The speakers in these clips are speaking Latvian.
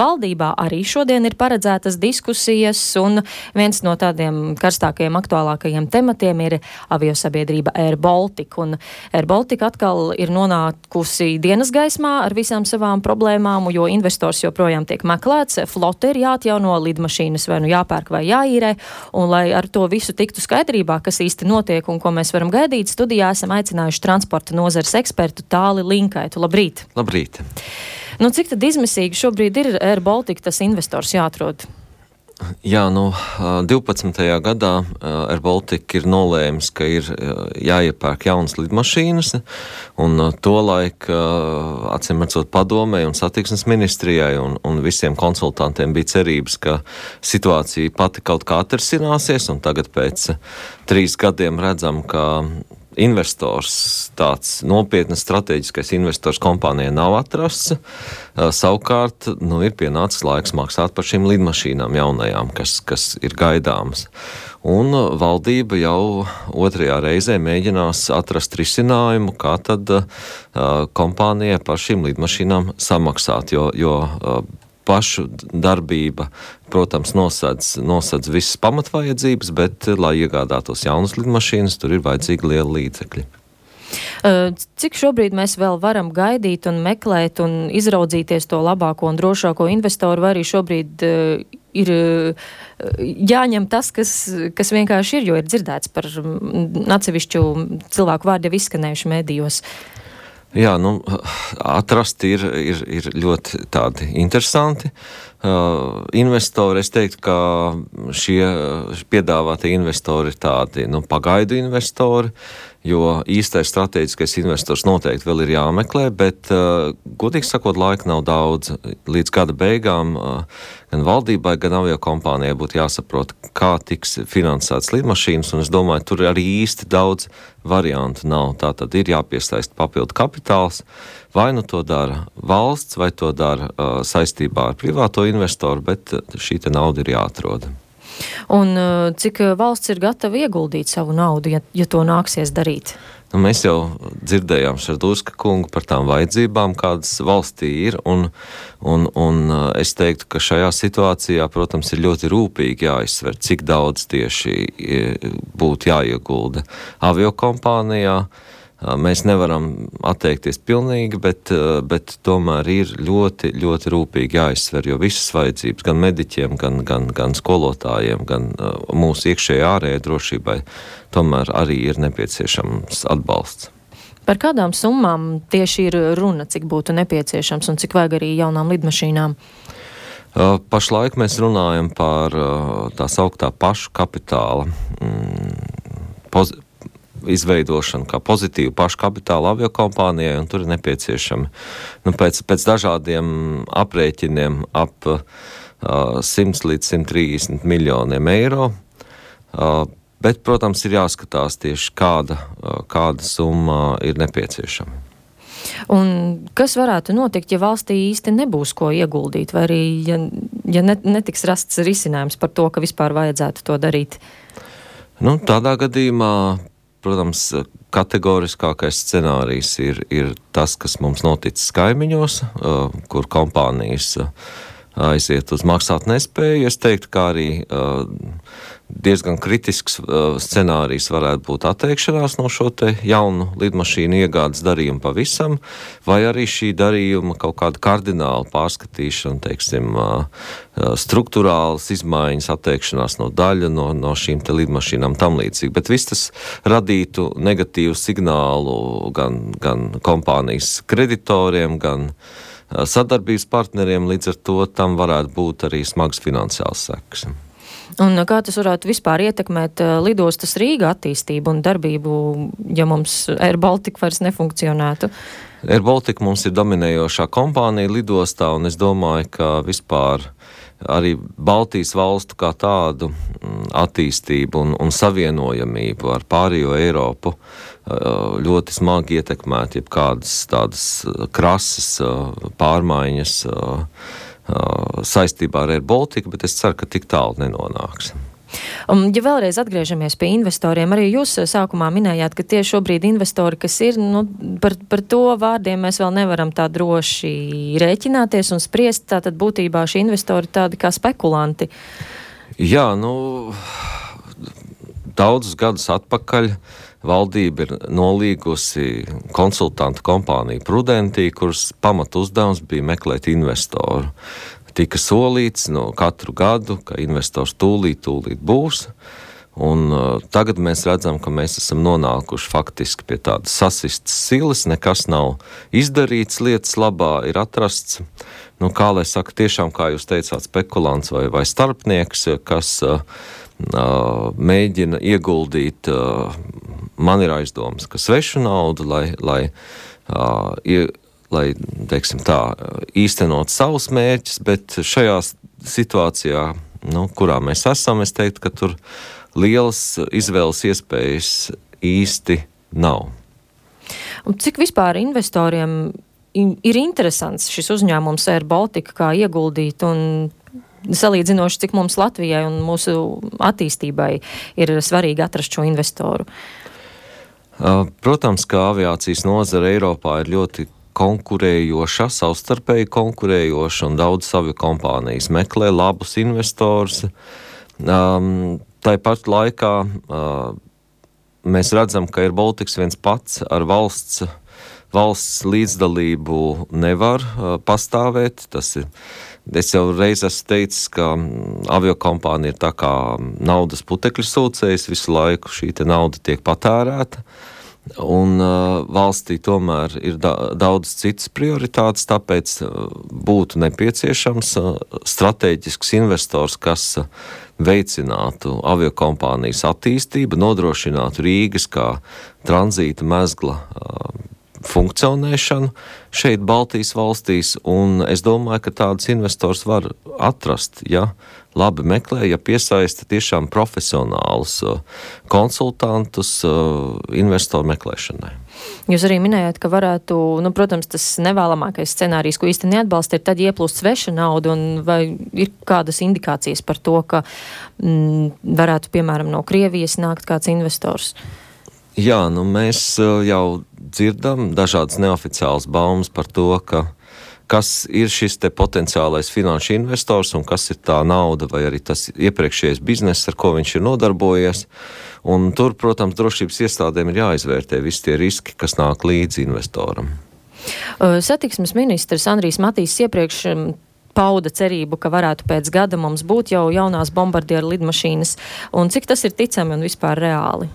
valdībā arī šodien ir paredzētas diskusijas, un viens no tādiem karstākajiem, aktuālākajiem tematiem ir aviosabiedrība Air Baltica. Un Air Baltica atkal ir nonākusi dienas gaismā ar visām savām problēmām, jo investors joprojām tiek meklēts, flote ir jāatjauno, lidmašīnas vai nu jāpērk vai jāīrē, un lai ar to visu tiktu skaidrībā, kas īsti notiek un ko mēs varam gaidīt, studijā esam aicinājuši transporta nozares ekspertu Tāli Linkaitu. Labrīt! Labrīt! Nu, cik tad izmisīgi šobrīd ir Air Baltica tas investors jāatrod? Jā, 12. gadā Air Baltica ir nolēmis, ka ir jāiepērk jaunas lidmašīnas, un tolaik, acīmredzot padomei un satiksmes ministrijai un visiem konsultantiem bija cerības, ka situācija pati kaut kā atrisināsies, un tagad pēc 3 gadiem redzam, ka investors, tāds nopietnas strateģiskais investors kompānijai nav atrasts. Savukārt, ir pienācis laiks maksāt par šīm lidmašīnām jaunajām, kas ir gaidāmas. Un valdība jau 2. reizē mēģinās atrast risinājumu, kā tad kompānijai par šīm lidmašīnām samaksāt, jo pašu darbība, protams, nosedz visas pamatvajadzības, bet, lai iegādātos jaunas lidmašīnas, tur ir vajadzīgi liela līdzekļi. Cik šobrīd mēs vēl varam gaidīt un meklēt un izraudzīties to labāko un drošāko investoru, vai arī šobrīd ir jāņem tas, kas vienkārši ir, jo ir dzirdēts par atsevišķu cilvēku vārdu jau izskanējuši medijos? Jā, atrast ir ļoti tādi interesanti investori. Es teiktu, ka šie piedāvātie investori ir tādi, pagaidu investori, jo īstais strateģiskais investors noteikti vēl ir jāmeklē, bet, godīgi sakot, laika nav daudz. Līdz gada beigām gan valdībai, gan aviokompānijai būtu jāsaprot, kā tiks finansēts lidmašīnas, un es domāju, tur arī īsti daudz variantu nav. Tātad ir jāpiesaista papildu kapitāls, vai to dara valsts, vai to dara saistībā ar privāto investoru, bet šī te nauda ir jāatrod. Un cik valsts ir gatava ieguldīt savu naudu, ja to nāksies darīt? Mēs jau dzirdējām Šardūska kungu par tām vajadzībām, kādas valstī ir, un es teiktu, ka šajā situācijā, protams, ir ļoti rūpīgi jāizsver, cik daudz tieši būtu jāiegulda aviokompānijā. Mēs nevaram atteikties pilnīgi, bet tomēr ir ļoti, ļoti rūpīgi jāizsver, jo visas vajadzības gan mediķiem, gan skolotājiem, gan mūsu iekšējai ārējai drošībai tomēr arī ir nepieciešams atbalsts. Par kādām summām tieši ir runa, cik būtu nepieciešams un cik vajag arī jaunām lidmašīnām? Pašlaik mēs runājam par tā sauktā pašu kapitāla izveidošanu kā pozitīvu pašu kapitālu aviokompānijai, un tur ir nepieciešami pēc dažādiem aprēķiniem ap 100 līdz 130 miljoniem eiro. Bet, protams, ir jāskatās tieši kāda summa ir nepieciešama. Un kas varētu notikt, ja valstī īsti nebūs ko ieguldīt, vai arī ja netiks rasts risinājums par to, ka vispār vajadzētu to darīt? Tādā gadījumā, protams, kategoriskākais scenārijs ir tas, kas mums noticis kaimiņos, kur kompānijas aiziet uz maksātnespēju. Es teiktu, kā arī diezgan kritisks scenārijs varētu būt atteikšanās no šo te jaunu lidmašīnu iegādes darījumu pavisam, vai arī šī darījuma kaut kāda kardināla pārskatīšana, teiksim, struktūrālas izmaiņas, atteikšanās no daļa no šīm te lidmašīnām tam līdzīgi. Bet viss tas radītu negatīvu signālu gan kompānijas kreditoriem, gan sadarbības partneriem, līdz ar to tam varētu būt arī smags finansiāls sekas. Un kā tas varētu vispār ietekmēt lidostas Rīga attīstību un darbību, ja mums Air Baltica vairs nefunkcionētu? Air Baltica mums ir dominējošā kompānija lidostā, un es domāju, ka vispār arī Baltijas valstu kā tādu attīstību un savienojamību ar pārējo Eiropu ļoti smagi ietekmēt jebkādas tādas krasas pārmaiņas saistībā ar Air Baltica, bet es ceru, ka tik tālu nenonāks. Ja vēlreiz atgriežamies pie investoriem, arī jūs sākumā minējāt, ka tieši šobrīd investori, kas ir, par to vārdiem mēs vēl nevaram tā droši rēķināties un spriest, tātad būtībā šī investori tādi kā spekulanti. Jā, daudzus gadus atpakaļ valdība ir nolīgusi konsultantu kompāniju Prudentī, kuras pamatu uzdevums bija meklēt investoru. Tika solīts katru gadu, ka investors tūlīt būs. Un tagad mēs redzam, ka mēs esam nonākuši faktiski pie tādas sasistas silas, nekas nav izdarīts lietas labā, ir atrasts, kā lai saka, tiešām, kā jūs teicāt, spekulants vai starpnieks, kas mēģina ieguldīt, man ir aizdomas, ka svešu naudu, lai teiksim tā, īstenot savus mērķus, bet šajā situācijā, kurā mēs esam, es teiktu, ka tur lielas izvēles iespējas īsti nav. Un cik vispār investoriem ir interesants šis uzņēmums Air Baltica, kā ieguldīt un salīdzinoši, cik mums Latvijai un mūsu attīstībai ir svarīgi atrast šo investoru? Protams, ka aviācijas nozare Eiropā ir ļoti konkurējoša, savstarpēji konkurējoša, un daudz savu kompānijas meklē labus investorus. Tāpat laikā mēs redzam, ka Air Baltics viens pats ar valsts līdzdalību nevar pastāvēt. Es jau reiz esmu teicis, ka aviokompānija ir tā kā naudas putekļu sūcējs, visu laiku šī nauda tiek patērēta. Un valstī tomēr ir daudz citas prioritātes, tāpēc būtu nepieciešams strateģisks investors, kas veicinātu aviokompānijas attīstību, nodrošinātu Rīgas kā tranzīta mezgla funkcionēšanu šeit Baltijas valstīs, un es domāju, ka tādus investors var atrast, ja labi meklē, ja piesaista tiešām profesionālus konsultantus investoru meklēšanai. Jūs arī minējāt, ka varētu, protams, tas nevēlamākais scenārijs, ko īsti neatbalsta, ir tad ieplūst sveša nauda, un vai ir kādas indikācijas par to, ka varētu, piemēram, no Krievijas nākt kāds investors? Jā, mēs jau dzirdam dažādas neoficiālas baumas par to, kas ir šis te potenciālais finanšu investors un kas ir tā nauda vai arī tas iepriekšējais bizness, ar ko viņš ir nodarbojies. Un tur, protams, drošības iestādēm ir jāizvērtē visi tie riski, kas nāk līdzi investoram. Satiksmes ministrs Andrijs Matīss iepriekš pauda cerību, ka varētu pēc gada mums būt jau jaunās bombardieru lidmašīnas. Un cik tas ir ticami un vispār reāli?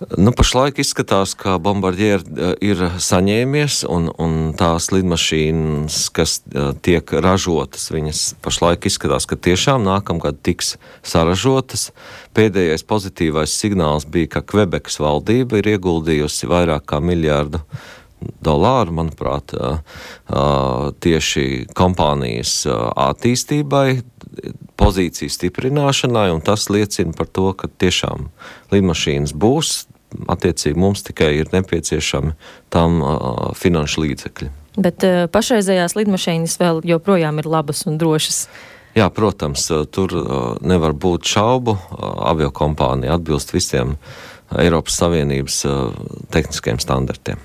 Pašlaik izskatās, ka Bombardier ir saņēmies, un tās lidmašīnas, kas tiek ražotas, viņas pašlaik izskatās, ka tiešām nākamgad tiks saražotas. Pēdējais pozitīvais signāls bija, ka Kvebekas valdība ir ieguldījusi vairāk kā $1 miljardu, manuprāt, tieši kompānijas attīstībai, pozīciju stiprināšanai, un tas liecina par to, ka tiešām lidmašīnas būs. Attiecīgi mums tikai ir nepieciešami tam finanšu līdzekļi. Bet pašreizējās lidmašīnas vēl joprojām ir labas un drošas? Jā, protams, tur nevar būt šaubu. Aviokompānija atbilst visiem Eiropas Savienības tehniskajiem standartiem.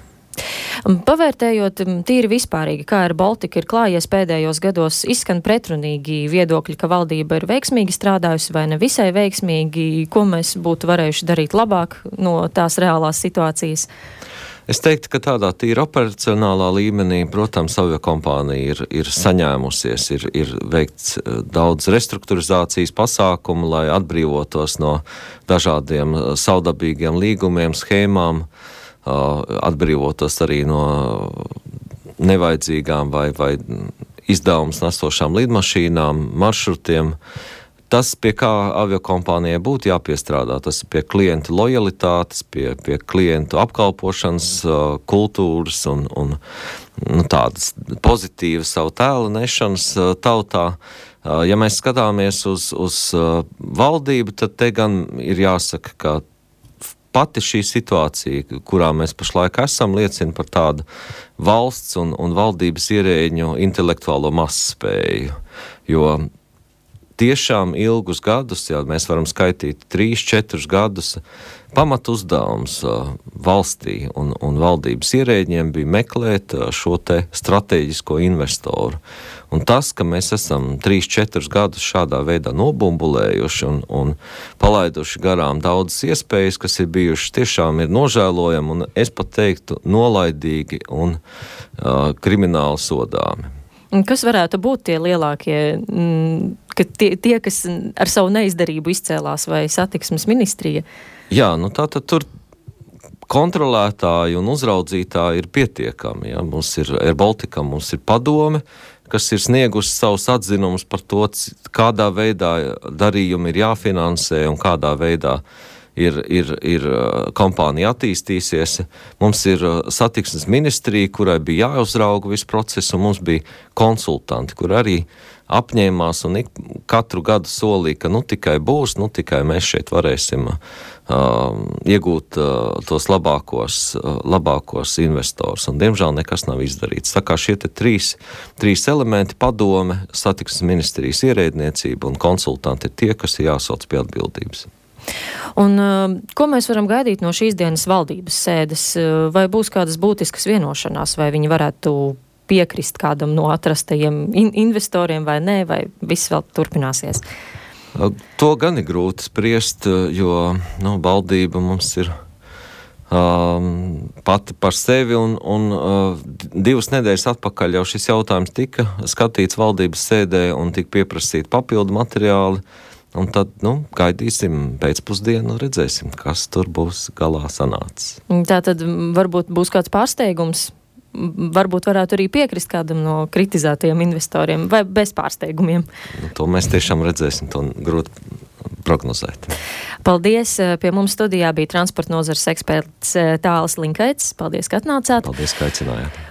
Pavērtējot tīri vispārīgi, kā Air Baltica ir klājies pēdējos gados, izskan pretrunīgi viedokļi, ka valdība ir veiksmīgi strādājusi vai ne visai veiksmīgi, ko mēs būtu varējuši darīt labāk no tās reālās situācijas? Es teiktu, ka tādā tīri operacionālā līmenī, protams, aviokompānija ir saņēmusies, ir veikts daudz restruktūrizācijas pasākumu, lai atbrīvotos no dažādiem savdabīgiem līgumiem, schēmām, atbrīvotos arī no nevajadzīgām vai izdevumus nesošām lidmašīnām, maršrutiem. Tas, pie kā aviokompānijai būtu jāpiestrādā, tas ir pie klientu lojalitātes, pie klientu apkalpošanas kultūras un tādas pozitīvas savu tēlu nešanas tautā. Ja mēs skatāmies uz valdību, tad te gan ir jāsaka, ka pati šī situācija, kurā mēs pašlaik esam, liecina par tādu valsts un valdības ierēģņu intelektuālo mazspēju, jo tiešām ilgus gadus, jā, mēs varam skaitīt 3-4 gadus, pamat uzdevums valstī un valdības ierēģiem bija meklēt šo te strateģisko investoru. Un tas, ka mēs esam 3-4 gadus šādā veidā nobumbulējuši un palaiduši garām daudzas iespējas, kas ir bijušas, tiešām ir nožēlojami un es pat teiktu nolaidīgi un krimināli sodāmi. Kas varētu būt tie lielākie, ka tie, kas ar savu neizdarību izcēlās, vai satiksmes ministrija? Jā, nu tātad tur kontrolētāji un uzraudzītāji ir pietiekami. Ja? Mums ir Air Baltica, mums ir padome, kas ir sniegusi savus atzinumus par to, kādā veidā darījumi ir jāfinansē un kādā veidā ir kompānija attīstīsies. Mums ir satiksmes ministrija, kurai bija jāuzrauga visu procesu, un mums bija konsultanti, kur arī apņēmās un katru gadu solīja, ka tikai būs, tikai mēs šeit varēsim iegūt tos labākos investors. Un, diemžēl, nekas nav izdarīts. Tā kā šie te trīs elementi - padome, satiksmes ministrijas ierēdniecība un konsultanti ir tie, kas ir jāsauc pie atbildības. Un ko mēs varam gaidīt no šīs dienas valdības sēdes? Vai būs kādas būtiskas vienošanās, vai viņi varētu piekrist kādam no atrastajiem investoriem vai nē, vai viss vēl turpināsies? To gan ir grūti spriest, jo valdība mums ir pati par sevi un 2 nedēļas atpakaļ jau šis jautājums tika skatīts valdības sēdē un tika pieprasīti papildu materiāli. Un tad, gaidīsim pēcpusdienu, redzēsim, kas tur būs galā sanācis. Tā tad varbūt būs kāds pārsteigums, varbūt varētu arī piekrist kādam no kritizētajiem investoriem, vai bez pārsteigumiem. To mēs tiešām redzēsim, to grūti prognozēt. Paldies! Pie mums studijā bija transporta nozares eksperts Tālis Linkaits. Paldies, ka atnācāt. Paldies, ka aicinājāt.